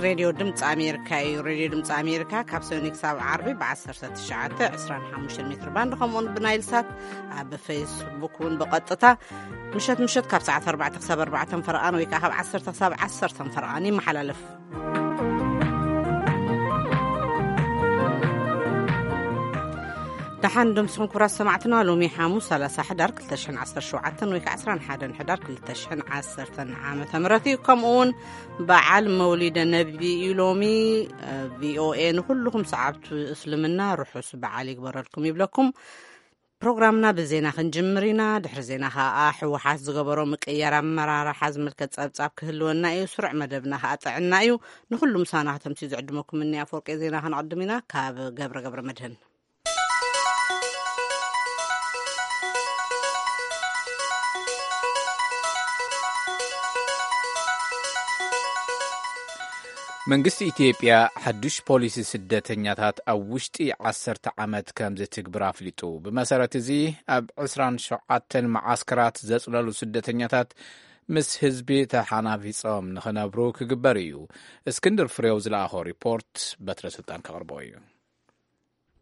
ሬድዮ ድምፂ ኣሜሪካ እዩ። ሬድዮ ድምፂ ኣሜሪካ ካብ ሰኒ ክሳብ ዓርቢ ብ19፣ 25 ሜትር ባንድ፣ ከምኡውን ብናይል ሳት፣ ኣብ ፌስቡክ እውን ብቐጥታ ምሸት ምሸት ካብ ሰዓት ኣርባዕተ ክሳብ ኣርባዕተ ፈረቓን ወይ ከዓ ካብ ዓሰርተ ክሳብ ዓሰርተ ፈረቓን ይመሓላለፍ። ደሓን ድምስኹም ክቡራት ሰማዕትና፣ ሎሚ ሓሙስ ሰላሳ ሕዳር ክልተ ሽሕን ዓሰርተ ሸውዓተን ወይ ከዓ ዕስራን ሓደን ሕዳር ክልተ ሽሕን ዓሰርተን ዓመተ ምህረት እዩ። ከምኡ እውን በዓል መውሊደ ነቢ እዩ ሎሚ። ቪኦኤ ንኩልኹም ሰዓብቱ እስልምና ርሑስ በዓል ይግበረልኩም ይብለኩም። ፕሮግራምና ብዜና ክንጅምር ኢና። ድሕሪ ዜና ከዓ ህወሓት ዝገበሮ ምቅያር ኣመራርሓ ዝምልከት ጸብጻብ ክህልወና እዩ። ስሩዕ መደብና ከዓ ጥዕና እዩ። ንኩሉ ምሳና ከተምሲ ዝዕድመኩም እኒ ኣፈወርቂ ዜና ከነቕድም ኢና። ካብ ገብረ ገብረ መድህን። መንግስቲ ኢትዮጵያ ሓዱሽ ፖሊሲ ስደተኛታት ኣብ ውሽጢ ዓሰርተ ዓመት ከም ዝትግብር ኣፍሊጡ። ብመሰረት እዚ ኣብ ዕስራን ሸውዓተን መዓስከራት ዘጽለሉ ስደተኛታት ምስ ህዝቢ ተሓናፊጾም ንኽነብሩ ክግበር እዩ። እስክንድር ፍሬው ዝለኣኾ ሪፖርት በትረ ስልጣን ከቕርቦ እዩ።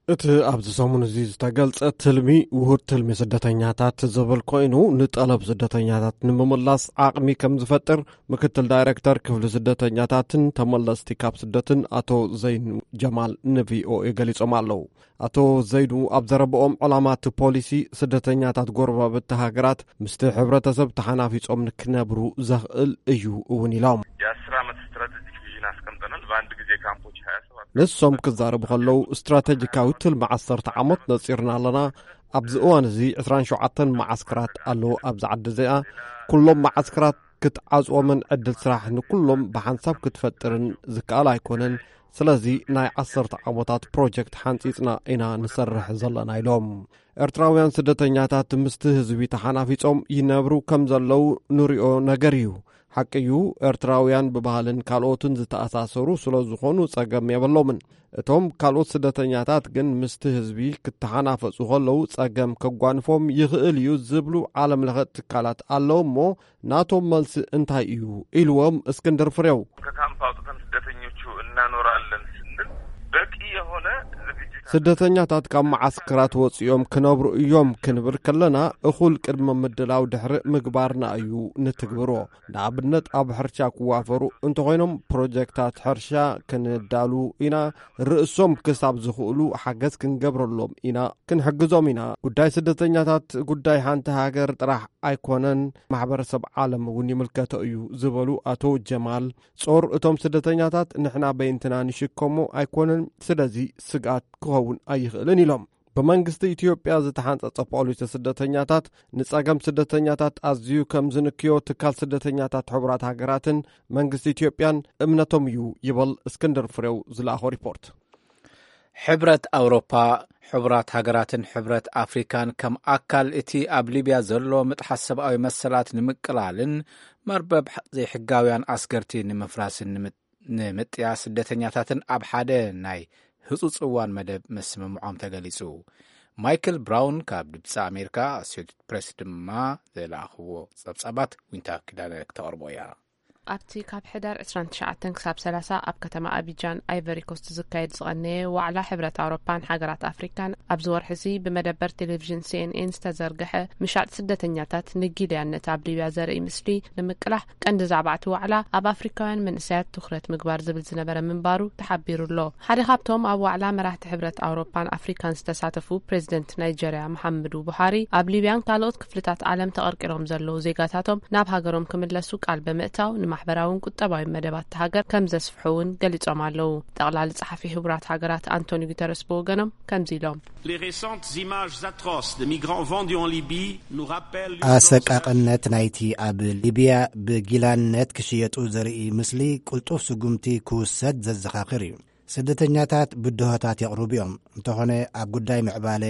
እቲ ኣብዚ ሰሙን እዚ ዝተገልጸ ትልሚ ውሁድ ትልሚ ስደተኛታት ዝብል ኮይኑ፣ ንጠለብ ስደተኛታት ንምምላስ ዓቕሚ ከም ዝፈጥር ምክትል ዳይሬክተር ክፍሊ ስደተኛታትን ተመለስቲ ካብ ስደትን ኣቶ ዘይኑ ጀማል ንቪኦኤ ገሊጾም ኣለዉ። ኣቶ ዘይኑ ኣብ ዘረብኦም፣ ዕላማ እቲ ፖሊሲ ስደተኛታት ጎረባብቲ ሃገራት ምስቲ ሕብረተሰብ ተሓናፊጾም ንክነብሩ ዘኽእል እዩ እውን ኢሎም። የአስር ዓመት ስትራቴጂክ ቪዥን አስቀምጠናል። በአንድ ጊዜ ካምፖች ሃያ ሰባት ንሶም ክዛረቡ ከለዉ፣ ስትራቴጂካዊ ትልሚ ዓሰርተ ዓመት ነጺርና ኣለና። ኣብዚ እዋን እዚ ዕስራን ሸውዓተን መዓስከራት ኣለዉ። ኣብዚ ዓዲ እዚኣ ኩሎም መዓስከራት ክትዓጽዎምን ዕድል ስራሕ ንኩሎም ብሓንሳብ ክትፈጥርን ዝከኣል ኣይኮነን። ስለዚ ናይ ዓሰርተ ዓመታት ፕሮጀክት ሓንጺጽና ኢና ንሰርሕ ዘለና ኢሎም። ኤርትራውያን ስደተኛታት ምስቲ ህዝቢ ተሓናፊጾም ይነብሩ ከም ዘለዉ ንሪኦ ነገር እዩ። ሓቂ እዩ፣ ኤርትራውያን ብባህልን ካልኦትን ዝተኣሳሰሩ ስለ ዝኾኑ ጸገም የብሎምን። እቶም ካልኦት ስደተኛታት ግን ምስቲ ህዝቢ ክተሓናፈጹ ከለዉ ጸገም ከጓንፎም ይኽእል እዩ ዝብሉ ዓለም ለኸ ትካላት ኣለዉ እሞ፣ ናቶም መልሲ እንታይ እዩ ኢልዎም እስክንድር ፍሬው። ከካምፕ አውጥተን ስደተኞቹ እናኖራለን ስንል በቂ የሆነ ዝግጅት ስደተኛታት ካብ መዓስከራት ወጺኦም ክነብሩ እዮም ክንብል ከለና፣ እኹል ቅድመ ምድላው ድሕሪ ምግባርና እዩ ንትግብሮ። ንኣብነት፣ ኣብ ሕርሻ ክዋፈሩ እንተኾይኖም፣ ፕሮጀክታት ሕርሻ ክንዳሉ ኢና። ርእሶም ክሳብ ዝኽእሉ ሓገዝ ክንገብረሎም ኢና፣ ክንሕግዞም ኢና። ጉዳይ ስደተኛታት ጉዳይ ሓንቲ ሃገር ጥራሕ ኣይኮነን፣ ማሕበረሰብ ዓለም እውን ይምልከቶ እዩ ዝበሉ ኣቶ ጀማል፣ ጾር እቶም ስደተኛታት ንሕና በይንትና ንሽከሞ ኣይኮነን፣ ስለዚ ስግኣት ክኸውን ኣይኽእልን ኢሎም። ብመንግስቲ ኢትዮጵያ ዝተሓንጸጸ ፖሊሲ ስደተኛታት ንጸገም ስደተኛታት ኣዝዩ ከም ዝንክዮ ትካል ስደተኛታት ሕቡራት ሃገራትን መንግስቲ ኢትዮጵያን እምነቶም እዩ ይበል እስክንድር ፍሬው ዝለኣኾ ሪፖርት። ሕብረት ኣውሮፓ፣ ሕቡራት ሃገራትን ሕብረት ኣፍሪካን ከም ኣካል እቲ ኣብ ሊብያ ዘሎ ምጥሓስ ሰብኣዊ መሰላት ንምቅላልን መርበብ ዘይሕጋውያን ኣስገርቲ ንምፍራስን ንምት-፣ ንምጥያ ስደተኛታትን ኣብ ሓደ ናይ ህጹጽ እዋን መደብ ምስምምዖም ተገሊጹ። ማይክል ብራውን ካብ ድምፂ ኣሜሪካ ኣሶሴትድ ፕሬስ ድማ ዝለኣኽዎ ጸብጻባት ዊንታ ኪዳነ ክተቕርቦ እያ። ኣብቲ ካብ ሕዳር ዕስራን ትሽዓተን ክሳብ ሰላሳ ኣብ ከተማ ኣቢጃን ኣይቨሪ ኮስት ዝካየድ ዝቐነየ ዋዕላ ሕብረት ኣውሮፓን ሃገራት ኣፍሪካን ኣብዚ ወርሒ እዚ ብመደበር ቴሌቪዥን ሲኤንኤን ዝተዘርግሐ ምሻጥ ስደተኛታት ንጊልያነት ኣብ ሊብያ ዘርኢ ምስሊ ንምቅላሕ ቀንዲ ዛዕባ እቲ ዋዕላ ኣብ ኣፍሪካውያን መንእሰያት ትኹረት ምግባር ዝብል ዝነበረ ምንባሩ ተሓቢሩ ኣሎ። ሓደ ካብቶም ኣብ ዋዕላ መራሕቲ ሕብረት ኣውሮፓን ኣፍሪካን ዝተሳተፉ ፕሬዚደንት ናይጀርያ መሓመዱ ቡሃሪ ኣብ ሊብያን ካልኦት ክፍልታት ዓለም ተቐርቂሮም ዘለዉ ዜጋታቶም ናብ ሃገሮም ክምለሱ ቃል ብምእታው ንማሕበራውን ቁጠባዊ መደባት ሃገር ከም ዘስፍሑ እውን ገሊጾም ኣለዉ። ጠቕላሊ ጸሓፊ ሕቡራት ሃገራት ኣንቶኒ ጉተረስ ብወገኖም ከምዚ ኢሎም። Les récentes images atroces de migrants vendus en Libye nous rappellent l'urgence. ኣሰቃቕነት ናይቲ ኣብ ሊብያ ብጊላነት ክሽየጡ ዘርኢ ምስሊ ቅልጡፍ ስጉምቲ ክውሰድ ዘዘኻኽር እዩ። ስደተኛታት ብድሆታት የቕርቡ እዮም። እንተኾነ ኣብ ጉዳይ ምዕባለ፣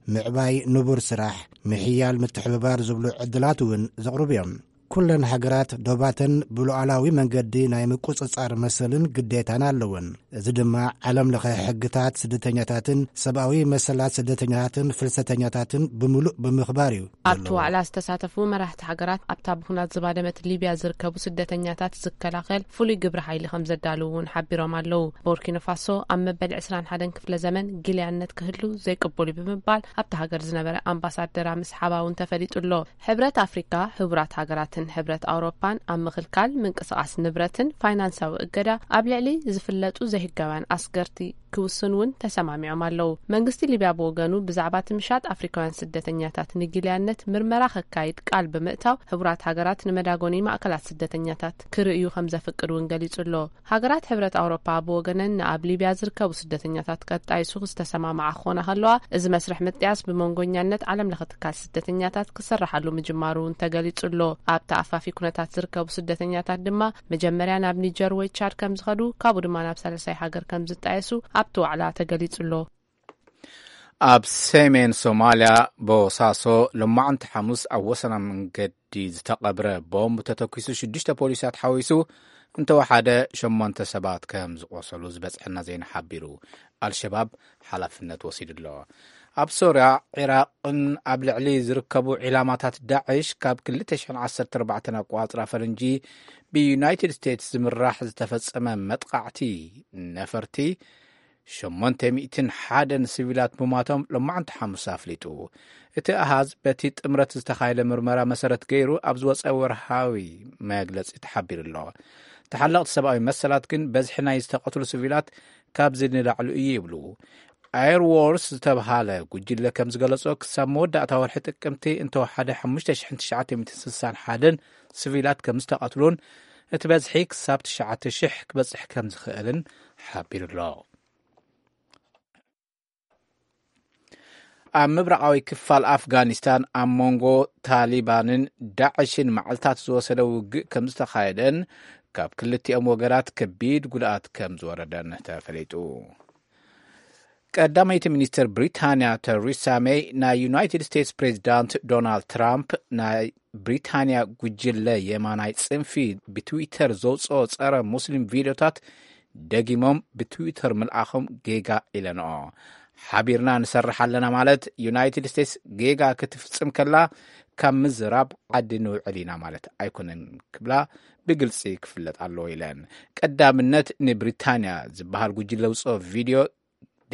ምዕባይ ንቡር ስራሕ፣ ምሕያል ምትሕብባር ዝብሉ ዕድላት እውን ዘቕርቡ እዮም። ኩለን ሃገራት ዶባተን ብሉዓላዊ መንገዲ ናይ ምቁጽጻር መሰልን ግዴታን ኣለወን። እዚ ድማ ዓለም ለኸ ሕግታት ስደተኛታትን ሰብኣዊ መሰላት ስደተኛታትን ፍልሰተኛታትን ብምሉእ ብምኽባር እዩ ኣብቲ ዘሎ። ዋዕላ ዝተሳተፉ መራሕቲ ሃገራት ኣብታ ብኹናት ዝባደመት ሊብያ ዝርከቡ ስደተኛታት ዝከላኸል ፍሉይ ግብረ ሓይሊ ከም ዘዳልው እውን ሓቢሮም ኣለዉ። ቦርኪኖ ፋሶ ኣብ መበል ዕስራን ሓደን ክፍለ ዘመን ጊልያነት ክህሉ ዘይቅቡል እዩ ብምባል ኣብታ ሃገር ዝነበረ ኣምባሳደራ ምስሓባ እውን ተፈሊጡ ኣሎ። ሕብረት ኣፍሪካ፣ ህቡራት ሃገራትን ሕብረት ኣውሮፓን ኣብ ምኽልካል ምንቅስቓስ ንብረትን ፋይናንሳዊ እገዳ ኣብ ልዕሊ ዝፍለጡ ዘይህጋውያን ኣስገርቲ ክውስን እውን ተሰማሚዖም ኣለዉ። መንግስቲ ሊብያ ብወገኑ ብዛዕባ እቲ ምሻጥ ኣፍሪካውያን ስደተኛታት ንጊልያነት ምርመራ ከካይድ ቃል ብምእታው፣ ህቡራት ሃገራት ንመዳጎኒ ማእከላት ስደተኛታት ክርእዩ ከም ዘፍቅድ እውን ገሊጹ ኣሎ። ሃገራት ሕብረት ኣውሮፓ ብወገነን ንኣብ ሊብያ ዝርከቡ ስደተኛታት ከጣይሱ ዝተሰማማዓ ክኾና ከለዋ፣ እዚ መስርሕ ምጥያስ ብመንጎኛነት ዓለም ለኸ ትካል ስደተኛታት ክስርሓሉ ምጅማሩ እውን ተገሊጹ ኣሎ። ኣብቲ ኣፋፊ ኩነታት ዝርከቡ ስደተኛታት ድማ መጀመርያ ናብ ኒጀር ወይ ቻድ ከም ዝኸዱ፣ ካብኡ ድማ ናብ ሳልሳይ ሃገር ከም ዝጣየሱ ኣብቲ ዋዕላ ተገሊጹ ኣሎ። ኣብ ሰሜን ሶማልያ ቦሳሶ ሎማዕንቲ ሓሙስ ኣብ ወሰና መንገዲ ዝተቐብረ ቦምብ ተተኲሱ ሽዱሽተ ፖሊሳት ሓዊሱ እንተወሓደ ሸሞንተ ሰባት ከም ዝቖሰሉ ዝበጽሐና ዜና ሓቢሩ። ኣልሸባብ ሓላፍነት ወሲዱ ኣሎ። ኣብ ሶርያ፣ ዒራቕን ኣብ ልዕሊ ዝርከቡ ዒላማታት ዳዕሽ ካብ ክልተ ሽሕን ዓሰርተ ኣርባዕተን ኣቋጽራ ፈረንጂ ብዩናይትድ ስቴትስ ዝምራሕ ዝተፈጸመ መጥቓዕቲ ነፈርቲ ሸሞንተ ሚእትን ሓደን ሲቪላት ምሟቶም ሎማዕንቲ ሓሙስ ኣፍሊጡ። እቲ ኣሃዝ በቲ ጥምረት ዝተኻየደ ምርመራ መሰረት ገይሩ ኣብ ዝወጸ ወርሃዊ መግለጺ ተሓቢሩ ኣሎ። ተሓለቕቲ ሰብኣዊ መሰላት ግን በዝሒ ናይ ዝተቐትሉ ሲቪላት ካብዚ ንላዕሊ እዩ ይብሉ። ኣይርዎርስ ዝተብሃለ ጉጅለ ከም ዝገለጾ ክሳብ መወዳእታ ወርሒ ጥቅምቲ እንተወሓደ ሓሙሽተ ሽሕን ትሽዓተ ሚእትን ስሳን ሓደን ሲቪላት ከም ዝተቐትሉን እቲ በዝሒ ክሳብ ትሽዓተ ሽሕ ክበጽሕ ከም ዝኽእልን ሓቢሩ ኣሎ። ኣብ ምብራቓዊ ክፋል ኣፍጋኒስታን ኣብ መንጎ ታሊባንን ዳዕሽን መዓልታት ዝወሰደ ውግእ ከም ዝተኻየደን ካብ ክልቲኦም ወገናት ከቢድ ጉድኣት ከም ዝወረደን ተፈሊጡ። ቀዳመይቲ ሚኒስትር ብሪታንያ ተሪሳ ሜይ ናይ ዩናይትድ ስቴትስ ፕሬዚዳንት ዶናልድ ትራምፕ ናይ ብሪታንያ ጉጅለ የማናይ ጽንፊ ብትዊተር ዘውፅኦ ጸረ ሙስሊም ቪድዮታት ደጊሞም ብትዊተር ምልኣኾም ጌጋ ኢለንኦ። ሓቢርና ንሰርሕ ኣለና ማለት ዩናይትድ ስቴትስ ጌጋ ክትፍጽም ከላ ካብ ምዝራብ ዓዲ ንውዕል ኢና ማለት ኣይኮነን ክብላ ብግልጺ ክፍለጥ ኣለዎ ኢለን። ቀዳምነት ንብሪታንያ ዝበሃል ጉጅለ ውፅኦ ቪድዮ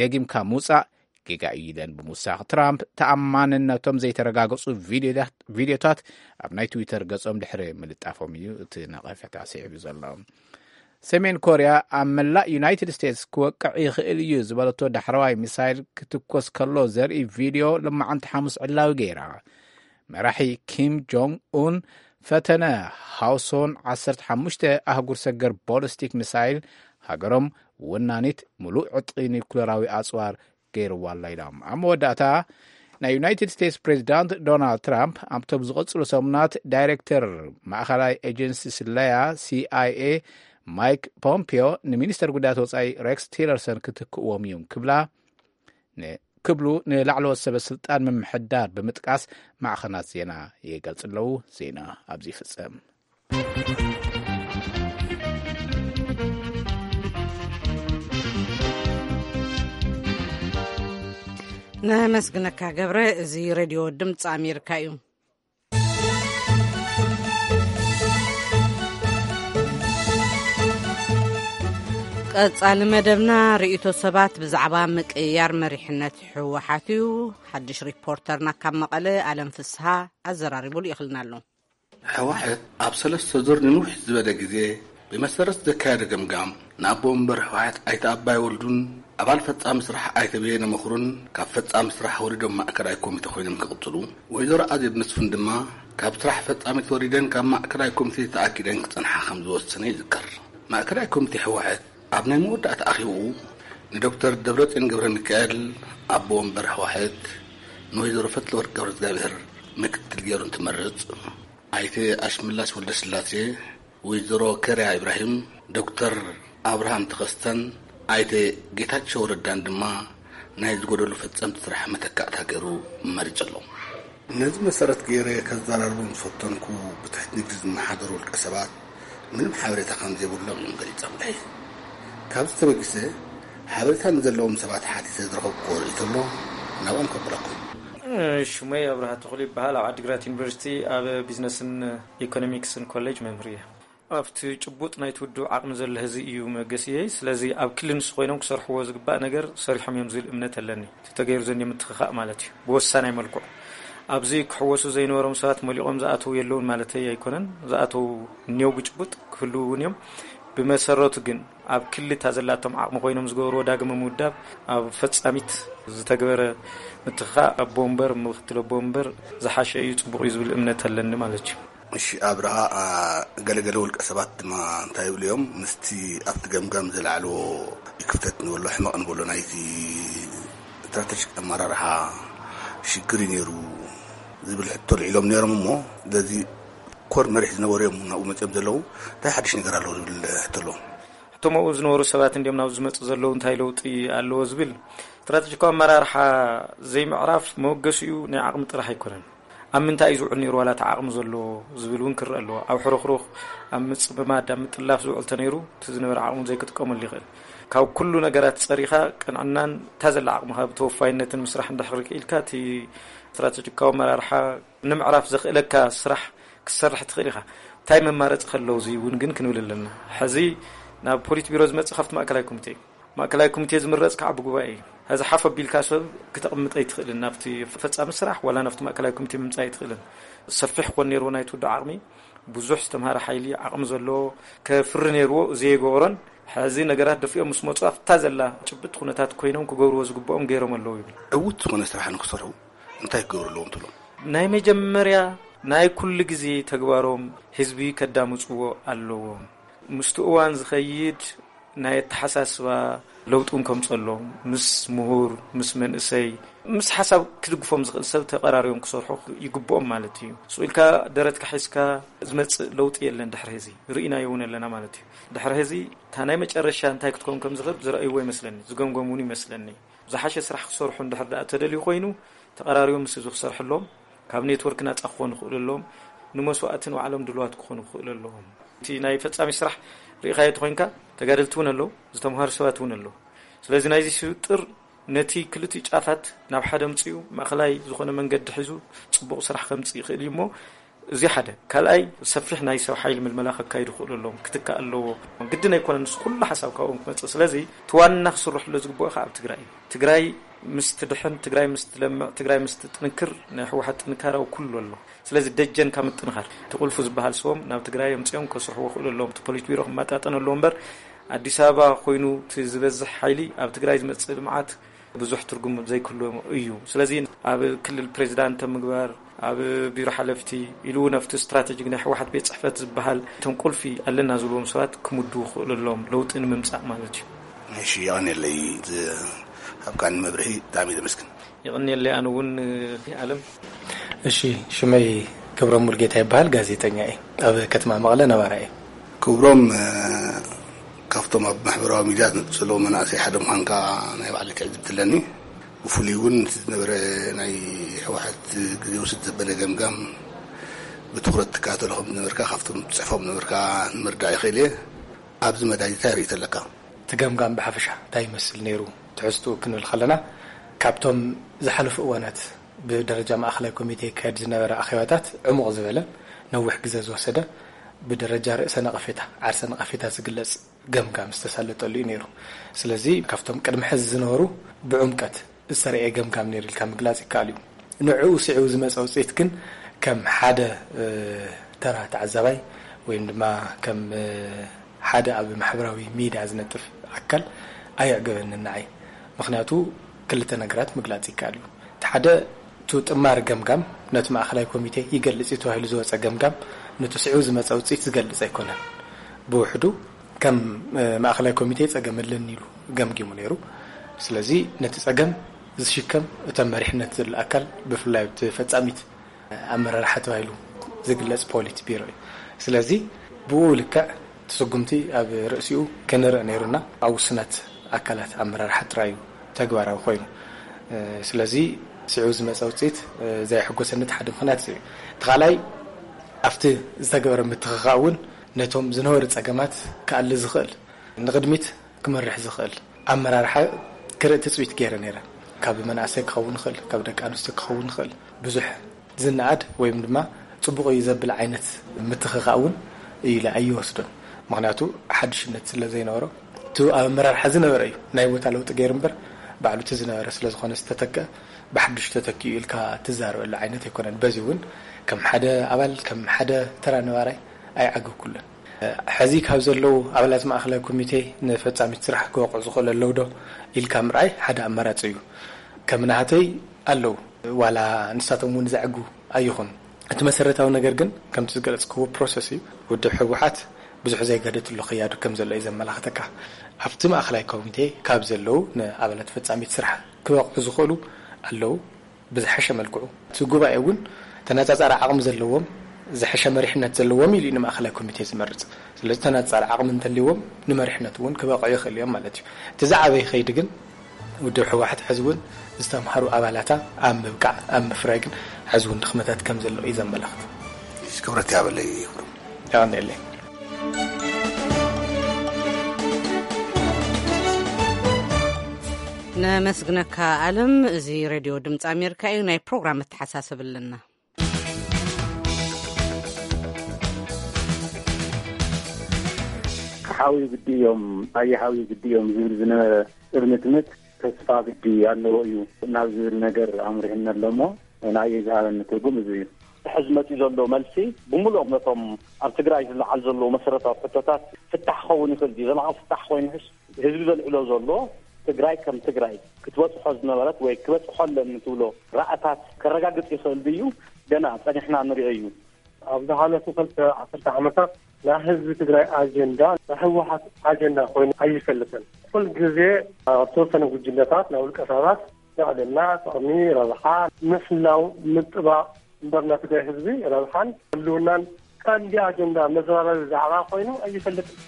ደጊምካ ምውፃእ ጌጋ እዩ ኢለን ብምውሳኽ ትራምፕ ተኣማንነቶም ዘይተረጋገፁ ቪድዮታት ቪድዮታት ኣብ ናይ ትዊተር ገጾም ድሕሪ ምልጣፎም እዩ እቲ ነቐፌታ ስዒቡ ዘሎ። ሰሜን ኮርያ ኣብ መላእ ዩናይትድ ስቴትስ ክወቅዕ ይኽእል እዩ ዝበለቶ ዳሕረዋይ ሚሳይል ክትኮስ ከሎ ዘርኢ ቪድዮ ሎማዓንቲ ሓሙስ ዕላዊ ገይራ። መራሒ ኪም ጆንግ ኡን ፈተነ ሃውሶን ዓሰርተ ሓሙሽተ ኣህጉር ሰገር ቦሊስቲክ ሚሳይል ሃገሮም ወናኒት ምሉእ ዕጥቂ ኒኩለራዊ ኣጽዋር ገይርዋ ኣላ ኢሎም። ኣብ መወዳእታ ናይ ዩናይትድ ስቴትስ ፕሬዚዳንት ዶናልድ ትራምፕ ኣብቶም ዝቐጽሉ ሰሙናት ዳይሬክተር ማእኸላይ ኤጀንሲ ስለያ ሲኣይኤ ማይክ ፖምፒዮ ንሚኒስተር ጉዳያት ወጻኢ ሬክስ ቲለርሰን ክትክእዎም እዮም ክብላ ን- ክብሉ ንላዕለዎት ሰበ ስልጣን ምምሕዳር ብምጥቃስ ማዕኸናት ዜና ይገልጽ ኣለዉ። ዜና ኣብዚ ይፍጸም። ነመስግነካ ገብረ። እዚ ሬድዮ ድምፂ ኣሜሪካ እዩ። ቀጻሊ መደብና ርእይቶ ሰባት ብዛዕባ ምቅይያር መሪሕነት ህወሓት እዩ። ሓድሽ ሪፖርተርና ካብ መቐለ ኣለም ፍስሃ ኣዘራሪቡ ልኢኽልና ኣሎ። ህወሓት ኣብ ሰለስተ ዙር ንንውሕ ዝበለ ግዜ ብመሰረት ዘካየዶ ገምጋም ንኣቦ ወንበር ህወሓት ኣይተ ኣባይ ወልዱን ኣባል ፈጻሚ ስራሕ ኣይተ በየነ መኹርን ካብ ፈጻሚ ስራሕ ወሪዶም ማእከላይ ኮሚተ ኮይኖም ክቕጽሉ፣ ወይዘሮ ኣዜብ መስፍን ድማ ካብ ስራሕ ፈጻሚት ወሪደን ካብ ማእከላይ ኮሚቴ ተኣጊደን ክጸንሓ ከም ዝወሰነ ይዝከር። ማእከላይ ኮሚቴ ህወሓት ኣብ ናይ መወዳእታ ኣኼብኡ ንዶክተር ደብረጽዮን ገብረሚካኤል ኣቦ ወንበር ህወሓት፣ ንወይዘሮ ፈትለወርቅ ገብረእግዚኣብሄር ምክትል ገይሩ እንትመርጽ፣ ኣይተ ኣሽመላሽ ወልደስላሴ፣ ወይዘሮ ከርያ ኢብራሂም፣ ዶክተር ኣብርሃም ተኸስተን ኣይተ ጌታቸው ረዳን ድማ ናይ ዝጎደሉ ፈጸምቲ ስራሕ መተካእታ ገይሩ መሪጹ ኣሎ። ነዚ መሰረት ገይረ ከዘራርቦም ዝፈተንኩ ብትሕቲ ንግዲ ዝመሓደሩ ውልቀ ሰባት ምንም ሓበሬታ ከም ዘይብሎም እዮም ገሊጾምለይ። ካብዚ ተበጊሰ ሓበሬታ ንዘለዎም ሰባት ሓቲተ ዝረኸብኩዎ ርእይቶ ኣሎ፣ ናብኦም ከብለኩም። ሽመይ ኣብርሃ ተኽሉ ይበሃል። ኣብ ዓዲግራት ዩኒቨርሲቲ ኣብ ቢዝነስን ኢኮኖሚክስን ኮሌጅ መምህር እየ። ኣብቲ ጭቡጥ ናይቲ ውድብ ዓቕሚ ዘሎ ህዚ እዩ መገሲየይ። ስለዚ ኣብ ክሊ ንሱ ኮይኖም ክሰርሕዎ ዝግባእ ነገር ሰሪሖም እዮም ዝብል እምነት ኣለኒ። እቲ ተገይሩ ዘንዮ ምትኽኻእ ማለት እዩ፣ ብወሳናይ መልክዑ። ኣብዚ ክሕወሱ ዘይነበሮም ሰባት መሊቖም ዝኣተው የለውን ማለተይ ኣይኮነን። ዝኣተው እኒው ብጭቡጥ ክህልው እውን እዮም። ብመሰረቱ ግን ኣብ ክሊ እታ ዘላቶም ዓቕሚ ኮይኖም ዝገብርዎ ዳግመ ምውዳብ ኣብ ፈጻሚት ዝተግበረ ምትኽኻእ ኣቦ ወንበር፣ ምክትል ኣቦ ወንበር ዝሓሸ እዩ፣ ጽቡቕ እዩ ዝብል እምነት ኣለኒ ማለት እዩ። እሺ ኣብርሃ፣ አ፣ ገለገለ ውልቀ ሰባት ድማ እንታይ ይብሉ እዮም? ምስቲ ኣብቲ ገምጋም ዝለዓልዎ ክፍተት ንበሎ ሕመቕ ንበሎ ናይቲ ስትራተጂክ ኣመራርሓ ሽግር እዩ ነይሩ ዝብል ሕቶ ልዒሎም ነይሮም እሞ፣ በዚ ኮር መሪሕ ዝነበሩ እዮም ናብኡ መፅኦም ዘለዉ። እንታይ ሓድሽ ነገር ኣለዎ ዝብል ሕቶ ኣለዎም። እቶም ኣብኡ ዝነበሩ ሰባት እንዲዮም ናብዚ ዝመፁ ዘለዉ፣ እንታይ ለውጢ ኣለዎ ዝብል ስትራተጂካዊ ኣመራርሓ ዘይምዕራፍ መበገሲኡ ናይ ዓቕሚ ጥራሕ ኣይኮነን። ኣብ ምንታይ እዩ ዝውዕል ነይሩ ዋላ እቲ ዓቕሚ ዘሎ ዝብል እውን ክረአ ኣለዎ። ኣብ ሕሩኽሩኽ፣ ኣብ ምጽምማድ፣ ኣብ ምጥላፍ ዝውዕል ተነይሩ እቲ ዝነበረ ዓቕሚ ዘይክጥቀመሉ ይኽእል። ካብ ኩሉ ነገራት ጸሪኻ ቅንዕናን እታ ዘላ ዓቕምኻ ብተወፋይነትን ምስራሕ እንድሕር ክኢልካ እቲ ስትራተጂካዊ ኣመራርሓ ንምዕራፍ ዘኽእለካ ስራሕ ክትሰርሕ ትኽእል ኢኻ። እንታይ መማረጺ ከለዉ እዚ እውን ግን ክንብል ኣለና። ሕዚ ናብ ፖሊት ቢሮ ዝመጽእ ካብቲ ማእከላይ ኮሚቴ እዩ። ማእከላይ ኮሚቴ ዝምረጽ ከዓ ብጉባኤ እዩ። ሕዚ ሓፍ ኣቢልካ ሰብ ክተቕምጥ ኣይትኽእልን። ናብቲ ፈጻሚ ስራሕ ዋላ ናብቲ ማእከላይ ኮሚቴ ምምጻእ ኣይትኽእልን። ሰፊሕ ኮን ነይርዎ ናይቲ ውድብ ዓቕሚ፣ ብዙሕ ዝተምሃረ ሓይሊ ዓቕሚ ዘለዎ ከፍሪ ነይርዎ፣ ዘይገበሮን ሕዚ ነገራት ደፊኦም ምስ መጹ ኣብታ ዘላ ጭብጥ ኩነታት ኮይኖም ክገብርዎ ዝግብኦም ገይሮም ኣለዉ ይብል። ዕዉት ዝኾነ ስራሕ ንክሰርሑ እንታይ ክገብሩ ኣለዎም ትብሎም? ናይ መጀመርያ ናይ ኩሉ ግዜ ተግባሮም ህዝቢ ከዳምጽዎ ኣለዎም። ምስቲ እዋን ዝኸይድ ናይ ኣተሓሳስባ ለውጢ እውን ከምጸሎም፣ ምስ ምሁር፣ ምስ መንእሰይ፣ ምስ ሓሳብ ክድግፎም ዝኽእል ሰብ ተቐራሪቦም ክሰርሑ ይግብኦም ማለት እዩ። ስቕ ኢልካ ደረትካ ሒዝካ ዝመጽእ ለውጢ የለን። ድሕሪ ህዚ ርኢናዮ እውን ኣለና ማለት እዩ። ድሕሪ ህዚ እታ ናይ መጨረሻ እንታይ ክትከውን ከም ዝኽእል ዝረኣይዎ ይመስለኒ፣ ዝገምገሙ እውን ይመስለኒ። ዝሓሸ ስራሕ ክሰርሑ እንድሕር ደኣ ተደልዩ ኮይኑ፣ ተቐራሪቦም ምስ ህዝቢ ክሰርሕሎም፣ ካብ ኔትወርክ ናጻ ክኾኑ ይኽእሉ ኣለዎም፣ ንመስዋእቲ ንባዕሎም ድሉዋት ክኾኑ ይኽእሉ ኣለዎም። እቲ ናይ ፈጻሚ ስራሕ ርኢኻዮ ተኾይንካ፣ ተጋደልቲ እውን ኣለዉ፣ ዝተምሃሩ ሰባት እውን ኣለዉ። ስለዚ ናይዚ ስብጥር ነቲ ክልቲኡ ጫፋት ናብ ሓደ ኣምጺኡ ማእኸላይ ዝኾነ መንገዲ ሒዙ ጽቡቕ ስራሕ ከምጽእ ይኽእል እዩ እሞ፣ እዚ ሓደ። ካልኣይ፣ ሰፊሕ ናይ ሰብ ሓይሊ ምልመላ ከካይዱ ይኽእሉ ኣለዎም፣ ክትካእ ኣለዎ። ግድን ኣይኮነን ንሱ ኩሉ ሓሳብ ካብኦም ክመጽእ። ስለዚ እቲ ዋና ክስርሕሉ ዝግብኦ ከዓ ኣብ ትግራይ እዩ። ትግራይ ምስ ትድሕን፣ ትግራይ ምስ ትለምዕ፣ ትግራይ ምስ ትጥንክር ናይ ህወሓት ጥንካረ ኣብ ኩሉ ኣሎ። ስለዚ ደጀንካ ምጥንኻር እቲ ቁልፉ ዝበሃል ሰቦም ናብ ትግራይ ኣምጺኦም ከስርሕዎ ክእሉ ኣለዎም። እቲ ፖሊት ቢሮ ክመጣጠን ኣለዎ እምበር ኣዲስ ኣበባ ኮይኑ እቲ ዝበዝሕ ሓይሊ ኣብ ትግራይ ዝመጽእ ልምዓት ብዙሕ ትርጉም ዘይክህልዎ እዩ። ስለዚ ኣብ ክልል ፕሬዚዳንት ምግባር፣ ኣብ ቢሮ ሓለፍቲ ኢሉ እውን ኣብቲ ስትራተጂክ ናይ ህወሓት ቤት ጽሕፈት ዝበሃል እቶም ቁልፊ ኣለና ዝብልዎም ሰባት ክምድቡ ክኽእሉ ኣለዎም፣ ለውጢ ንምምጻእ ማለት እዩ። እሺ፣ የቐንየለይ። ዝ-፣ ኣብ ካኒ መብርሂ ብጣዕሚ ዘመስግን። የቐንየለይ ኣነ እውን፣ ኣለም። እሺ፣ ሽመይ ክብሮም ሙልጌታ ይበሃል፣ ጋዜጠኛ እየ። ኣብ ከተማ መቐለ ነባራ እየ። ክብሮም፣ እ፣ ካብቶም ኣብ ማሕበራዊ ሚድያ ዝነጥፍ ዘለዉ መናእሰይ ሓደ ምዃንካ ናይ ባዕለይ ትዕዝብቲ ኣለኒ። ብፍሉይ እውን እቲ ዝነበረ ናይ ህወሓት ግዜ ውስድ ዘበለ ገምጋም ብትኹረት ትከታተሎ ከም ዝነበርካ ካብቶም ትጽሕፎም ነበርካ ንምርዳእ ይኽእል እየ። ኣብዚ መዳይ እንታይ ርእይቶ ኣለካ? እቲ ገምጋም ብሓፈሻ እንታይ ይመስል ነይሩ? ትሕዝትኡ ክንብል ከለና፣ ካብቶም ዝሓለፉ እዋናት ብደረጃ ማእኸላይ ኮሚቴ ይካየድ ዝነበረ ኣኼባታት ዕሙቕ ዝበለ፣ ነዊሕ ግዜ ዝወሰደ፣ ብደረጃ ርእሰ ነቐፌታ፣ ዓርሰ ነቐፌታ ዝግለጽ ገምጋም ዝተሳለጠሉ እዩ ነይሩ። ስለዚ ካብቶም ቅድሚ ሕዚ ዝነበሩ ብዕምቀት ዝተረኤ ገምጋም ነይሩ ኢልካ ምግላጽ ይከኣል እዩ። ንዕኡ ስዒቡ ዝመጸ ውጽኢት ግን ከም ሓደ፣ እ፣ ተራ ተዓዛባይ ወይም ድማ ከም፣ እ፣ ሓደ ኣብ ማሕበራዊ ሚድያ ዝነጥፍ ኣካል ኣየዕገበንን ንዓይ። ምኽንያቱ ክልተ ነገራት ምግላጽ ይከኣል እዩ። እቲ ሓደ፣ እቲ ጥማር ገምጋም ነቲ ማእኸላይ ኮሚቴ ይገልጽ እዩ ተባሂሉ ዝወጸ ገምጋም ነቲ ስዒቡ ዝመጸ ውጽኢት ዝገልጽ ኣይኮነን። ብውሕዱ ከም፣ እ፣ ማእኸላይ ኮሚቴ ጸገም ኣለኒ ኢሉ ገምጊሙ ነይሩ። ስለዚ ነቲ ጸገም ዝሽከም እቶም መሪሕነት ዘሎ ኣካል ብፍላይ እቲ ፈጻሚት ኣመራርሓ ተባሂሉ ዝግለጽ ፖሊት ቢሮ እዩ። ስለዚ ብኡ ልክዕ እቲ ስጉምቲ ኣብ ርእሲኡ ክንርኢ ነይሩና፣ ኣብ ውሱናት ኣካላት ኣመራርሓ ጥራይ እዩ ተግባራዊ ኮይኑ። እ፣ ስለዚ ስዑ ዝመፀ ውፅኢት ዘይሕጎሰኒ ሓደ ምኽንያት እዩ። እቲ ካልኣይ ኣብቲ ዝተገበረ ምትኽኻእ እውን ነቶም ዝነበሩ ፀገማት ክኣሊ ዝኽእል ንቕድሚት ክመርሕ ዝኽእል ኣመራርሓ ክርኢ ትፅቢት ገይረ ነይረ። ካብ መናእሰይ ክኸውን ይኽእል፣ ካብ ደቂ ኣንስትዮ ክኸውን ይኽእል። ብዙሕ ዝነኣድ ወይም ድማ ፅቡቕ እዩ ዘብል ዓይነት ምትኽኻእ እውን ኢለ ኣይወስዶን። ምኽንያቱ ሓድሽነት ስለ ዘይነበሮ እቲ ኣብ ኣመራርሓ ዝነበረ እዩ ናይ ቦታ ለውጢ ገይሩ እምበር ባዕሉ እቲ ዝነበረ ስለ ዝኾነ ዝተተክአ ብሓዱሽ ተተኪኡ ኢልካ ትዛረበሉ ዓይነት ኣይኮነን። በዚ እውን ከም ሓደ ኣባል ከም ሓደ ተራ ነባራይ ኣይዓገብኩሉን። ሕዚ ካብ ዘለዉ ኣባላት ማእኸላይ ኮሚቴ ንፈፃሚት ስራሕ ክበቕዑ ዝኽእሉ ኣለዉ ዶ ኢልካ ምርኣይ ሓደ ኣማራፂ እዩ። ከም ናህተይ ኣለዉ ዋላ ንሳቶም እውን ዘዕጉ ኣይኹን። እቲ መሰረታዊ ነገር ግን ከምቲ ዝገለፅክዎ ፕሮሰስ እዩ። ውድብ ህወሓት ብዙሕ ዘይገደትሎ ክያዱ ከም ዘሎ እዩ ዘመላኽተካ። ኣብቲ ማእኸላይ ኮሚቴ ካብ ዘለዉ ንኣባላት ፈፃሚት ስራሕ ክበቕዑ ዝኽእሉ ኣለዉ። ብዝሐሸ መልክዑ እቲ ጉባኤ እውን ተነፃፃሪ ዓቕሚ ዘለዎም ዝሐሸ መሪሕነት ዘለዎም ኢሉ እዩ ንማእኸላይ ኮሚቴ ዝመርፅ። ስለዚ ተነፃፃሪ ዓቕሚ እንተልዎም ንመሪሕነት እውን ክበቕዑ ይኽእሉ እዮም ማለት እዩ። እቲ ዝዓበየ ከይዲ ግን ውድብ ህወሓት ሕዚ እውን ዝተምሃሩ ኣባላታ ኣብ ምብቃዕ ኣብ ምፍራይ ግን ሕዚ እውን ድኽመታት ከም ዘሎ እዩ ዘመላኽት። ክብረት ያበለይ ይኽብሩ። ያቀንየለይ። ነመስግነካ ኣለም። እዚ ሬድዮ ድምፂ ኣሜሪካ እዩ። ናይ ፕሮግራም መተሓሳሰብ ኣለና። ሓዊ ግዲ እዮም፣ ኣየ ሓዊ ግዲ እዮም ዝብል ዝነበረ እርምትምት ተስፋ ግዲ ኣለዎ እዩ ናብ ዝብል ነገር ኣምሪሕና ኣሎ እሞ ንኣየ ዝሃበኒ ትርጉም እዚ እዩ። ሕዚ መፂኡ ዘሎ መልሲ ብምሉኦም ነቶም ኣብ ትግራይ ዝለዓል ዘለዉ መሰረታዊ ሕቶታት ፍታሕ ክኸውን ይኽእል ድዩ? ዘላቒ ፍታሕ ኮይኑ ሕስ ህዝቢ ዘልዕሎ ዘሎ ትግራይ ከም ትግራይ ክትበፅሖ ዝነበረት ወይ ክበፅሖ ኣለኒ ትብሎ ራእታት ከረጋግፅ ይኽእል ድዩ? ገና ፀኒሕና ንሪኦ እዩ። ኣብ ዝሓለፉ ክልተ ዓሰርተ ዓመታት ናይ ህዝቢ ትግራይ ኣጀንዳ ናይ ህወሓት ኣጀንዳ ኮይኑ ኣይፈልጥን። ኩል ግዜ ኣብ ተወሰነ ጉጅለታት ናይ ውልቀ ሰባት ጥዕና፣ ጥቕሚ፣ ረብሓ፣ ምሕላው፣ ምጥባቕ እምበር ናይ ትግራይ ህዝቢ ረብሓን ህልውናን ቀንዲ ኣጀንዳ መዘራረቢ ዛዕባ ኮይኑ ኣይፈልጥን።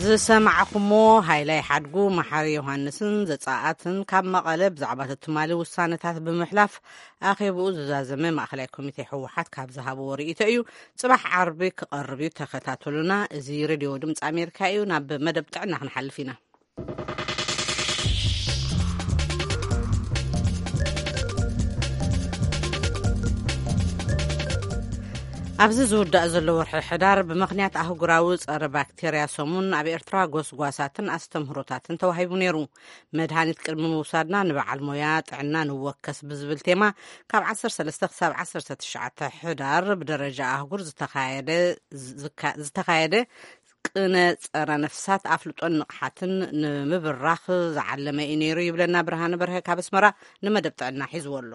ዝሰማዕኹሞ ሃይላይ ሓድጉ፣ መሓሪ ዮሃንስን ዘጻኣትን ካብ መቐለ ብዛዕባ ትማሊ ውሳነታት ብምሕላፍ ኣኼብኡ ዝዛዘመ ማእኸላይ ኮሚቴ ህወሓት ካብ ዝሃብዎ ርእይቶ እዩ። ጽባሕ ዓርቢ ክቐርብ እዩ፣ ተኸታተሉና። እዚ ሬድዮ ድምፂ ኣሜሪካ እዩ። ናብ መደብ ጥዕና ክንሓልፍ ኢና። ኣብዚ ዝውዳእ ዘሎ ወርሒ ሕዳር ብምኽንያት ኣህጉራዊ ጸረ ባክቴርያ ሰሙን ኣብ ኤርትራ ጎስጓሳትን ኣስተምህሮታትን ተዋሂቡ ነይሩ። መድሃኒት ቅድሚ ምውሳድና ንበዓል ሞያ ጥዕና ንወከስ ብዝብል ቴማ ካብ ዓሰርተ ሰለስተ ክሳብ ዓሰርተ ትሽዓተ ሕዳር ብደረጃ ኣህጉር ዝተኻየደ ዝተኻየደ ቅነ ጸረ ነፍሳት ኣፍልጦን ንቕሓትን ንምብራኽ ዝዓለመ እዩ ነይሩ ይብለና ብርሃነ በርሀ ካብ ኣስመራ ንመደብ ጥዕና ሒዝዎ ኣሎ።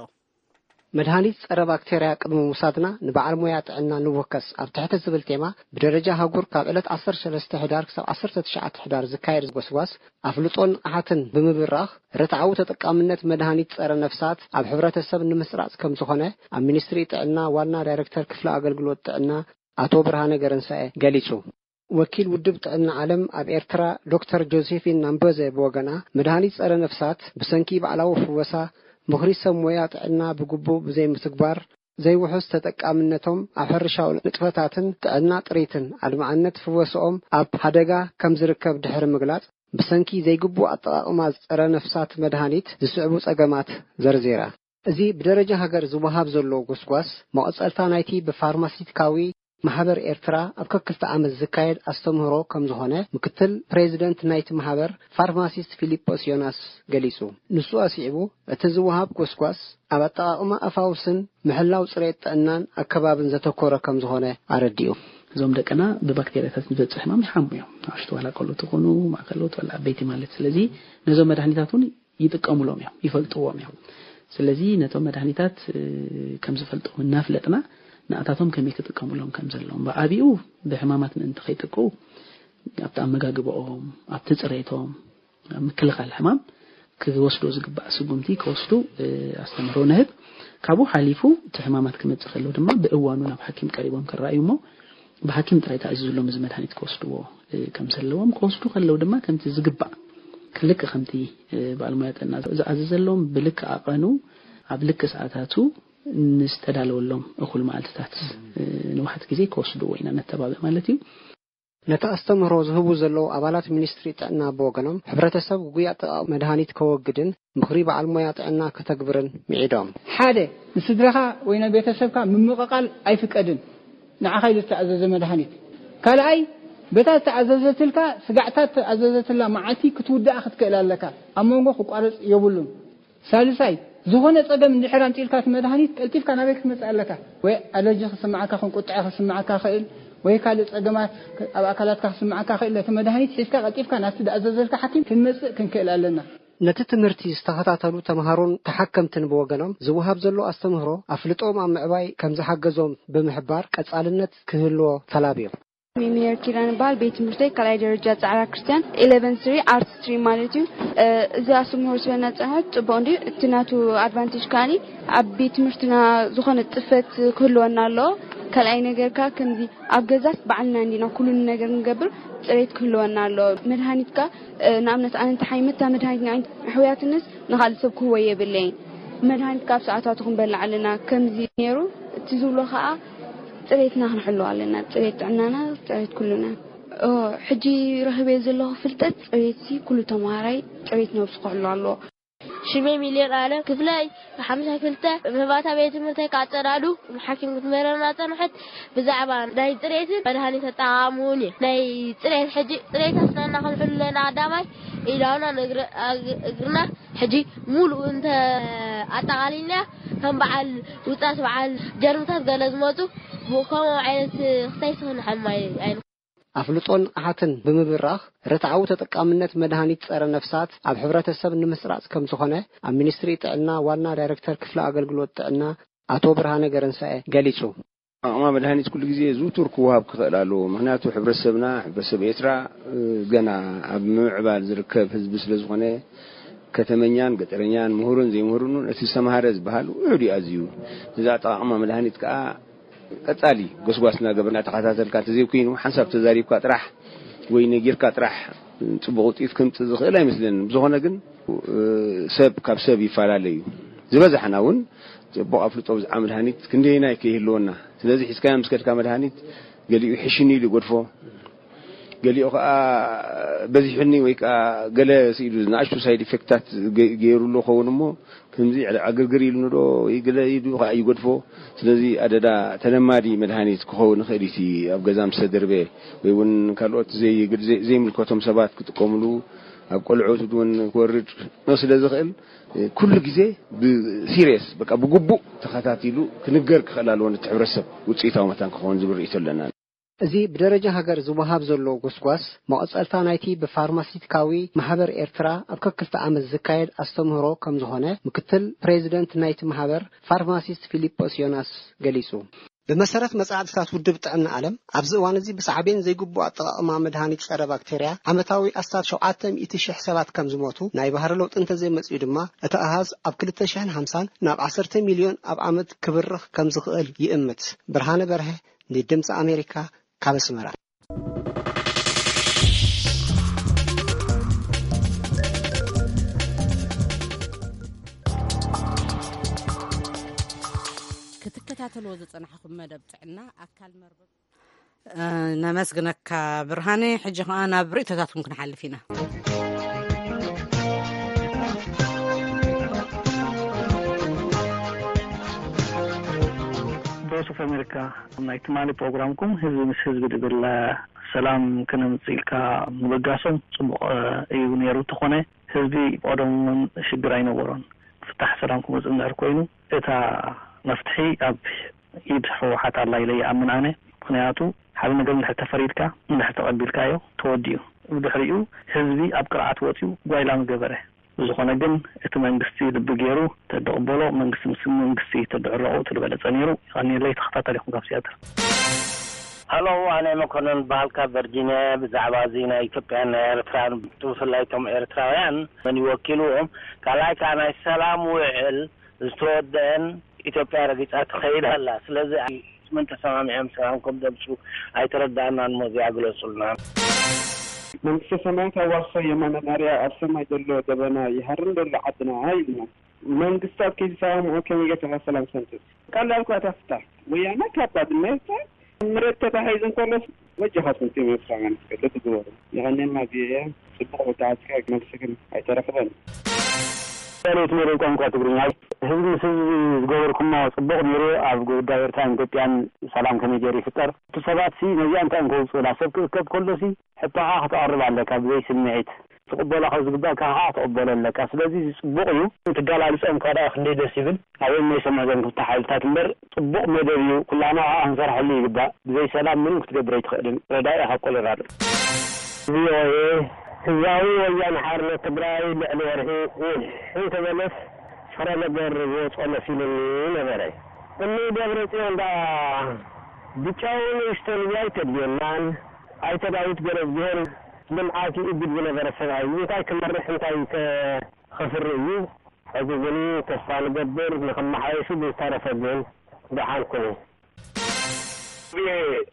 መድሃኒት ጸረ ባክቴርያ ቅድሚ ምውሳድና ንበዓል ሞያ ጥዕና ንወከስ ኣብ ትሕቲ ዝብል ቴማ ብደረጃ ሃጉር ካብ ዕለት ዓሰርተ ሰለስተ ሕዳር ክሳብ ዓሰርተ ትሽዓተ ሕዳር ዝካየድ ጎስጓስ ኣፍልጦን ንቕሓትን ብምብራኽ ርትዓዊ ተጠቃምነት መድሃኒት ጸረ ነፍሳት ኣብ ሕብረተሰብ ንምስራጽ ከም ዝኾነ ኣብ ሚኒስትሪ ጥዕና ዋና ዳይሬክተር ክፍሊ ኣገልግሎት ጥዕና ኣቶ ብርሃነ ገረንሳኤ ገሊጹ። ወኪል ውድብ ጥዕና ዓለም ኣብ ኤርትራ ዶክተር ጆሴፊን ናምበዘ ብወገና መድሃኒት ጸረ ነፍሳት ብሰንኪ ባዕላዊ ፍወሳ ምኽሪ ሰብ ሞያ ጥዕና ብግቡእ ብዘይምትግባር ዘይውሑስ ተጠቃምነቶም ኣብ ሕርሻዊ ንጥፈታትን ጥዕና ጥሪትን ኣድማዕነት ፍወስኦም ኣብ ሓደጋ ከም ዝርከብ ድሕሪ ምግላጽ ብሰንኪ ዘይግቡእ ኣጠቓቕማ ጸረ ነፍሳት መድሃኒት ዝስዕቡ ጸገማት ዘርዚራ። እዚ ብደረጃ ሃገር ዝወሃብ ዘሎ ጎስጓስ መቐጸልታ ናይቲ ብፋርማሲቲካዊ ማሕበር ኤርትራ ኣብ ከክልተ ዓመት ዝካየድ ኣስተምህሮ ከም ዝኾነ ምክትል ፕሬዚደንት ናይቲ ማሕበር ፋርማሲስት ፊሊጶስ ዮናስ ገሊጹ። ንሱ ኣስዒቡ እቲ ዝወሃብ ጎስጓስ ኣብ ኣጠቓቕማ ኣፋውስን ምሕላው ጽሬት ጥዕናን ኣከባብን ዘተኮረ ከም ዝኾነ ኣረዲኡ። እዞም ደቅና ብባክቴርያታት ዝበጽሕ ሕማም ይሓሙ እዮም። ንኣሽቱ ዋላ ቆልዑ ትኾኑ ማእከሎት ዋላ ዓበይቲ ማለት ስለዚ ነዞም መድሃኒታት እውን ይጥቀሙሎም እዮም፣ ይፈልጥዎም እዮም። ስለዚ ነቶም መድሃኒታት ከም ዝፈልጥዎም እናፍለጥና ንኣታቶም ከመይ ክጥቀሙሎም ከም ዘለዎም ብዓቢኡ ብሕማማት ምእንቲ ከይጥቅኡ ኣብቲ ኣመጋግባኦም ኣብቲ ፅሬቶም ኣብ ምክልኻል ሕማም ክወስዶ ዝግባእ ስጉምቲ ክወስዱ ኣስተምህሮ ንህብ። ካብኡ ሓሊፉ እቲ ሕማማት ክመፅእ ከሎ ድማ ብእዋኑ ናብ ሓኪም ቀሪቦም ክረኣዩ እሞ ብሓኪም ጥራይ ተኣዚዙሎም እዚ መድሃኒት ክወስድዎ ከም ዘለዎም፣ ክወስዱ ከለዉ ድማ ከምቲ ዝግባእ፣ ክልክ ከምቲ ባለሙያ ጥዕና ዝኣዘዘሎም፣ ብልክ ኣቐኑ፣ ኣብ ልክ ሰዓታቱ፣ ንዝተዳለወሎም እኹል መዓልትታት ንውሓት ግዜ ክወስድዎ ኢና ነተባብዕ ማለት እዩ። ነቲ ኣስተምህሮ ዝህቡ ዘለዉ ኣባላት ሚኒስትሪ ጥዕና ብወገኖም፣ ሕብረተሰብ ግጉይ ኣጠቓቕማ መድሃኒት ከወግድን ምኽሪ በዓል ሞያ ጥዕና ከተግብርን ምዒዶም። ሓደ፣ ንስድራኻ ወይ ናይ ቤተሰብካ ምምቕቓል ኣይፍቀድን። ንዓኻ ኢሉ ዝተኣዘዘ መድሃኒት። ካልኣይ፣ በታ ዝተኣዘዘትልካ ስጋዕታት ዝተኣዘዘትላ መዓልቲ ክትውድኣ ክትክእል ኣለካ። ኣብ መንጎ ክቋረጽ የብሉን። ሳልሳይ፣ ዝኾነ ጸገም እንድሕር ኣምጺእልካ እቲ መድሃኒት ቀልጢፍካ ናበይ ክትመጽእ ኣለካ። ወይ ኣለርጂ ክስምዓካ፣ ከም ቁጥዐ ክስምዓካ ይኽእል፣ ወይ ካልእ ጸገማት ኣብ ኣካላትካ ክስምዓካ ይኽእል። ነቲ መድሃኒት ሒዝካ ቀልጢፍካ ናብቲ ዝኣዘዘልካ ሓኪም ክንመጽእ ክንክእል ኣለና። ነቲ ትምህርቲ ዝተኸታተሉ ተምሃሮን ተሓከምትን ብወገኖም፣ ዝወሃብ ዘሎ ኣስተምህሮ ኣፍልጦኦም ኣብ ምዕባይ ከም ዝሓገዞም ብምሕባር፣ ቀጻልነት ክህልዎ ተላብዮም። ሚሚየር ኪዳን ይበሃል። ቤት ትምህርተይ ካልኣይ ደረጃ ጻዕራ ክርስቲያን፣ ኢለቨን ስሪ፣ ኣርት ስትሪም ማለት እዩ። እ፣ እዚ ኣስተምህሮ ስለ እናጸንሐት ጽቡቕ እንድዩ። እቲ ናቱ ኣድቫንቴጅ ከኣኒ፣ ኣብ ቤት ትምህርትና ዝኾነ ጽፈት ክህልወና ኣለዎ። ካልኣይ ነገር ከኣ ከምዚ ኣብ ገዛስ ባዕልና እንዲና ኩሉ ነገር ንገብር፣ ጽሬት ክህልወና ኣለዎ። መድሃኒት ከኣ፣ እ፣ ንኣብነት ኣነ እንተሓይመ እታ መድሃኒት ንዓይ ኣሕውያትንስ ንኻልእ ሰብ ክህቦ የብለይን። መድሃኒት ካብ ሰዓታቱ ክንበልዕ ኣለና። ከምዚ ነይሩ፣ እቲ ዝብሎ ከኣ ጽሬትና ክንሕልዎ ኣለና። ጽሬት ጥዕናና፣ ጽሬት ኩሉና። ኦ፣ ሕጂ ረኺበዮ ዘለኹ ፍልጠት፣ ጽሬትሲ ኩሉ ተምሃራይ ጽሬት ነብሱ ክሕሉ ኣለዎ። ሽመይ ሚልዮን ኣለም ክፍለይ፣ ሓምሻይ ክልተ፣ መባእታ ቤት ትምህርተይ ካጸዳዱ፣ ሓኪም ክትምህረና ጸንሐት። ብዛዕባ ናይ ጽሬትን መድሃኒት ኣጠቓቕምኡን እዩ። ናይ ጽሬት፣ ሕጂ ጽሬት ኣስናና ክንሕሉ ኣለና ቀዳማይ፣ ኢዳውና ንእግሪ-፣ ኣግ-፣ እግርና ሕጂ ሙሉእ እንተ ኣጠቓሊልና፣ ከም በዓል ውጻት፣ በዓል ጀርምታት ገለ ዝመጹ፣ ብኡ ከምኡ ዓይነት ክሳይሲ ክንሓምም ኣይ-፣ ኣይንኽእልን። ኣፍልጦን ንቕሓትን ብምብራኽ፣ ርትዓዊ ተጠቃምነት መድሃኒት ጸረ ነፍሳት ኣብ ሕብረተሰብ ንምስራጽ ከም ዝኾነ፣ ኣብ ሚኒስትሪ ጥዕና ዋና ዳይረክተር ክፍሊ ኣገልግሎት ጥዕና ኣቶ ብርሃነ ገረንሳኤ ገሊጹ። ኣቕማ መድሃኒት ኩሉ ግዜ ዝውቱር ክወሃብ ክኽእል ኣለዎ። ምኽንያቱ ሕብረተሰብና፣ ሕብረተሰብ ኤርትራ፣ እ፣ ገና ኣብ ምምዕባል ዝርከብ ህዝቢ ስለ ዝኾነ፣ ከተመኛን ገጠረኛን፣ ምሁርን ዘይምሁርን እውን እቲ ዝተምሃረ ዝበሃል ውሑድ እዩ ኣዝዩ። እዚ ኣጠቓቕማ መድሃኒት ከኣ ቀጻሊ ጎስጓስ እናገበርና፣ ተኸታተልካ እንተዘይኮይኑ፣ ሓንሳብ ተዛሪብካ ጥራሕ ወይ ነጊርካ ጥራሕ ጽቡቕ ውጽኢት ከምጽእ ዝኽእል ኣይመስለንን። ብዝኾነ ግን፣ እ፣ ሰብ ካብ ሰብ ይፈላለ እዩ። ዝበዛሕና እውን ጽቡቕ ኣፍልጦ ብዛዕባ መድሃኒት ክንደየናይ ከይህልወና። ስለዚ ሒዝካዮ ምስ ከድካ መድሃኒት ገሊኡ ሕሽኒ ኢሉ ይገድፎ፣ ገሊኡ ከኣ በዚሑኒ ወይ ከኣ ገለ ስኢሉ ንኣሽቱ ሳይድ ኢፌክታት ገ-፣ ገይሩሉ ኸውን እሞ፣ ከምዚ ዕግርግር ኢሉኒ ዶ ወይ ገለ ኢሉ ከኣ ይገድፎ። ስለዚ ኣደዳ ተለማዲ መድሃኒት ክኸውን ይኽእል እዩ። እቲ ኣብ ገዛ ምስ ተደርበ ወይ እውን ካልኦት ዘይ-፣ ዘይ-፣ ዘይምልከቶም ሰባት ክጥቀምሉ፣ ኣብ ቆልዑት እውን ክወርድ ስለ ዝኽእል፣ ኩሉ ግዜ ብሲሪየስ፣ በቃ ብግቡእ ተኸታቲሉ ክንገር ክኽእል ኣለዎ፣ ነቲ ሕብረተሰብ ውጽኢታዊ መታን ክኸውን ዝብል ርእይቶ ኣለና። እዚ ብደረጃ ሃገር ዝወሃብ ዘሎ ጎስጓስ፣ መቐጸልታ ናይቲ ብፋርማሲስቲካዊ ማሕበር ኤርትራ ኣብ ከክልተ ዓመት ዝካየድ ኣስተምህሮ ከም ዝኾነ፣ ምክትል ፕሬዚደንት ናይቲ ማሕበር ፋርማሲስት ፊሊጶስ ዮናስ ገሊጹ። ብመሰረት መጻዕድታት ውድብ ጥዕና ዓለም፣ ኣብዚ እዋን እዚ ብሳዕቤን ዘይግቡእ ኣጠቓቕማ መድሃኒት ጸረ ባክቴርያ ዓመታዊ ኣስታት ሸውዓተ ሚእቲ ሽሕ ሰባት ከም ዝሞቱ፣ ናይ ባህሪ ለውጢ እንተዘይመጽኡ ድማ፣ እቲ ኣሃዝ ኣብ ክልተ ሽሕን ሓምሳን ናብ ዓሰርተ ሚልዮን ኣብ ዓመት ክብርኽ ከም ዝኽእል ይእምት። ብርሃነ በርሀ፣ ንድምጺ ኣሜሪካ፣ ካብ ኣስመራ። ክትከታተልዎ ዝጸናሕኩም መደብ ጥዕና ኣካል መርበብ። እ፣ ነመስግነካ ብርሃነ። ሕጂ ኸኣ ናብ ርእይቶታትኩም ክንሓልፍ ኢና። ቮይስ ኦፍ ኣሜሪካ፣ ናይ ትማሊ ፕሮግራምኩም ህዝቢ ምስ ህዝቢ ዝብል ሰላም ክነምጽእ ኢልካ ምብጋሶም ጽቡቕ እዩ ነይሩ። እንተኾነ ህዝቢ ቀደም እውን ሽግር ኣይነበሮን። ፍታሕ ሰላም ክመጽእ እንድሕር ኮይኑ እታ መፍትሒ ኣብ ኢድ ህወሓት ኣላ ኢለ ይኣምን ኣነ። ምኽንያቱ ሓደ ነገር እንድሕር ተፈሪድካ፣ እንድሕር ተቐቢልካዮ ተወዲኡ። ብድሕሪኡ ህዝቢ ኣብ ቅርዓት ወጺኡ ጓይላ ምገበረ። ብዝኾነ ግን እቲ መንግስቲ ልቢ ገይሩ ተደቕበሎ መንግስቲ ምስ መንግስቲ ተድዕረቑ እቲ ዝበለጸ ነይሩ። የቐንየለይ። ተኸታታሊኹም ካብ ሲያትል። ሃሎ፣ ኣነ መኮንን በሃል ካብ ቨርጂንያ። ብዛዕባ እዚ ናይ ኢትዮጵያን ናይ ኤርትራን ብፍላይ እቶም ኤርትራውያን መን ይወኪልዎም? ካልኣይ ከኣ ናይ ሰላም ውዕል ዝተወደአን ኢትዮጵያ ረጊጻ ትኸይድ ኣላ። ስለዚ መን ተሰማሚዖም ሰላም ከም ዘምፅኡ ኣይተረዳእናን። ሞ እዚኣ ግለፁልና። መንግስተ ሰማያት ኣዋርሶ የማነ ማርያ ኣብ ሰማይ ዘሎ ደበና ይሃርን ዘሎ ዓድና ኢልና። መንግስታት ከይተሰማምዑ ከመይ ጌርካ ሰላም ሰምፅእ? ቀላል እኳ እታ ፍታሕ። ወያነ ካብ ባድመ ይውፃእ፣ መሬት ተታሒዙ እንከሎስ ወጃኻትኩም ቲም ኤርትራውያን እስከ ልቢ ግበሩ። የቐንየልና ቪኦኤ፣ ጽቡቕ ወተሓዝካ መልሲ ግን ኣይተረኽበን። ዳሌት መደብ ቋንቋ ትግርኛ። ህዝቢ ምስ ህዝቢ ዝገበርኩሞ ጽቡቕ ነይሩ። ኣብ ጉዳይ ኤርትራን ኢትዮጵያን ሰላም ከመይ ገይሩ ይፍጠር? እቲ ሰባትሲ ነዚኣ እንታይ እዮም ከውጽኡላ? ሰብ ክእከብ ከሎሲ ሕቶኻ ክተቕርብ ኣለካ ብዘይ ስምዒት። ትቕበሎ ካብ ዝግባእካ ከዓ ክትቕበሎ ኣለካ። ስለዚ እዚ ጽቡቕ እዩ። ትገላልጾም ከኣ ደኣ ክንደይ ደስ ይብል። ኣበይ እሞ ይሰምዑ እዞም ክልተ ሓይልታት እምበር፣ ጽቡቕ መደብ እዩ። ኩላህና ከዓ ክንሰርሐሉ ይግባእ። ብዘይ ሰላም ምንም ክትገብር ኣይትኽእልን። ረዳኢ ካብ ኮሎራዶ። ቪኦኤ፣ ህዝባዊ ወያነ ሓርነት ትግራይ ልዕሊ ወርሒ ውሕ እንተበለስ ፍረ ነገር ዝወፅኦ መሲሉኒ ነበረ። እኒ ደብረ ጽዮን ደኣ ብጫው ንእሽተን ኣይተድልየናን። ኣይተ ዳዊት ገረዝግሄር ልምዓት ይእግድ ዝነበረ ሰብኣይ እንታይ ክመርሕ እንታይ ከ- ኸፍሪ እዩ። ሕዚ ግን ተስፋ ንገብር ንኽመሓየሹ፣ ብዝተረፈ ግን ደሓን ኩኑ።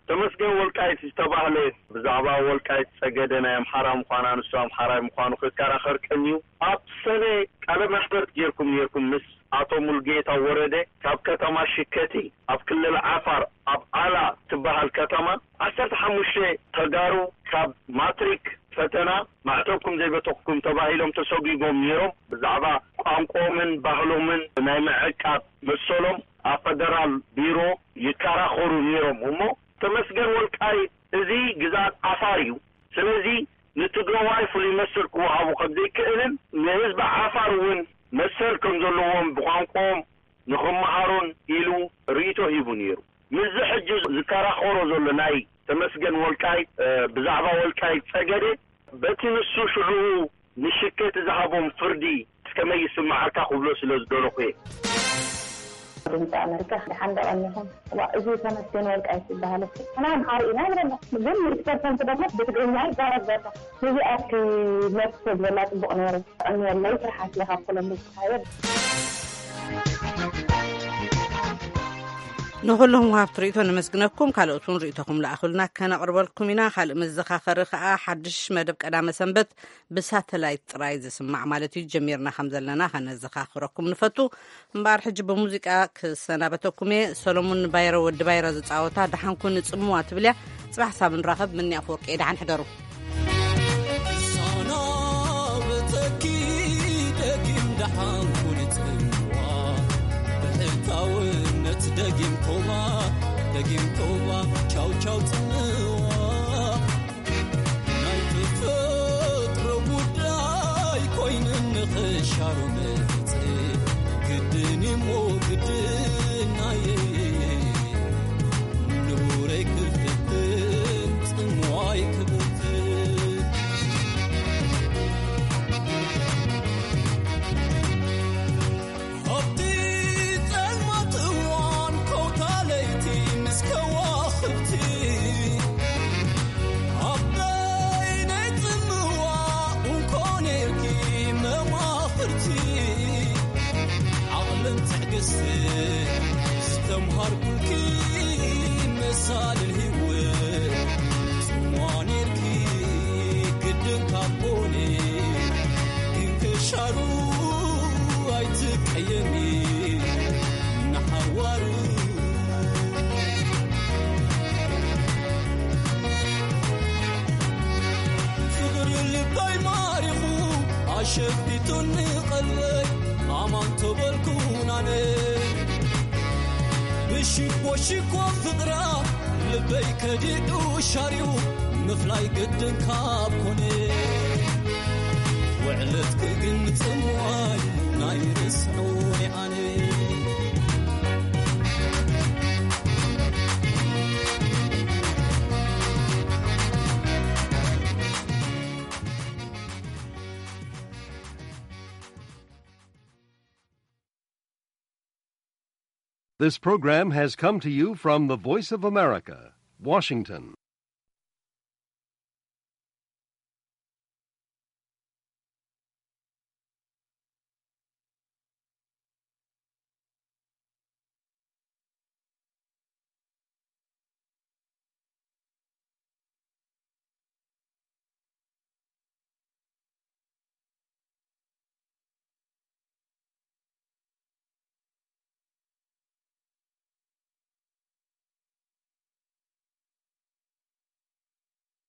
ተመስገን ወልቃይት ዝተባህለ ብዛዕባ ወልቃይት ጸገደ ናይ ኣምሓራ ምዃና፣ ንሱ ኣምሓራይ ምዃኑ ክከራኸር ቀንዩ። ኣብ ሰነ ቃለ መሕተት ጌርኩም ኔርኩም ምስ ኣቶ ሙልጌታ ወረደ ካብ ከተማ ሽከቲ ኣብ ክልል ዓፋር ኣብ ዓላ ትበሃል ከተማ ዓሰርተ ሓሙሽተ ተጋሩ ካብ ማትሪክ ፈተና ማዕተብኩም ዘይበተኽኩም ተባሂሎም ተሰጒጎም ነይሮም። ብዛዕባ ቋንቋኦምን ባህሎምን ናይ ምዕቃብ መሰሎም ኣብ ፈደራል ቢሮ ይከራኸሩ ነይሮም። እሞ ተመስገን ወልቃይት እዚ ግዝኣት ዓፋር እዩ። ስለዚ ንትግራዋይ ፍሉይ መሰል ክወሃቦ ከም ዘይክእልን ንህዝቢ ዓፋር እውን መሰል ከም ዘለዎም ብቋንቋኦም ንኽመሃሩን ኢሉ ርእይቶ ሂቡ ነይሩ። ምስዚ ሕጂ ዝከራኸሮ ዘሎ ናይ ተመስገን ወልቃይት፣ እ፣ ብዛዕባ ወልቃይት ጸገዴ፣ በቲ ንሱ ሽዑ ንሽከቲ ዝሃቦም ፍርዲ እስከመይ ይስምዓካ ክብሎ ስለ ዝደለኹ እየ። ድምፂ ኣመሪካ፣ ደሓን ዶ ቀኒኹም? ዋ፣ እዚ ተመስገን ወልቃይት ዝበሃል እኮ ንሕና ኣምሓሩ ኢና ንብለና፣ ግን ሚእቲ ፐርሰንት ደግሞ ብትግርኛ ይዛረብ ዘሎ። ነዚኣ እስኪ መልሲ ተዝበላ ጽቡቕ ነይሩ። ቀንየለይ፣ ስራሕ ኣስሊኻ ኣብ ኮሎምብስ ትኻየድ። ንኹሎም ወሃብቲ ርእይቶ ነመስግነኩም። ካልኦት እውን ርእይቶኹም ለኣኹልና፣ ከነቕርበልኩም ኢና። ካልእ መዘኻኸሪ ከኣ፣ ሓድሽ መደብ ቀዳመ ሰንበት ብሳተላይት ጥራይ ዝስማዕ ማለት እዩ፣ ጀሚርና ከም ዘለና ከነዘኻኽረኩም ንፈቱ። እምበኣር ሕጂ ብሙዚቃ ክሰናበተኩም እየ። ሰሎሙን ባይረ፣ ወዲ ባይረ ዝጻወታ ደሓንኩን ጽምዋ ትብል እያ። ጽባሕ ሳብ ንራኸብ። ምኒ ኣፈወርቂ፣ ደሓን ሕደሩ። ክሰናበተኪ ደጊም ደሓንኩን ጽምዋ፣ ብሕታውነት ደጊም ኮማ፣ ደጊም ኮማ፣ ቻው ቻው ጽምዋ። ናይ ተፈጥሮ ጉዳይ ኮይኑ ንኽሻሩ መጽእ ግድን እሞ ግድን ናየ ንቡረይ ክፍትን ጽምዋይ ክብትን። ኣብቲ ጸልማት እዋን ኮታ ለይቲ ምስ ከዋኽብቲ፣ ኣብ በይነይ ጽምዋ እንኮ ኔርኪ መማኽርቲ። ዓቕልን ትዕግስትን ዝተምሃርኩልኪ መሳልል ህይወት፣ ጽምዋ ኔርኪ ግድን ካብ ኮነ። ግን ክሻሩ ኣይትቀየሚ ንሓዋሩ። ፍቕሪ ልበይ ማሪኹ ኣሸፊቱኒ ቀልበይ፣ ኣማን ተበልኩ ናነ። ብሽኮ ሽኮ ፍቕራ ልበይ ከዲዱ ሻርዩ፣ ምፍላይ ግድን ካብ ኮነ። ውዕለትኪ ግን ጽምዋይ ናይ ርስዑ ኣነ። This program has come to you from the Voice of America, Washington.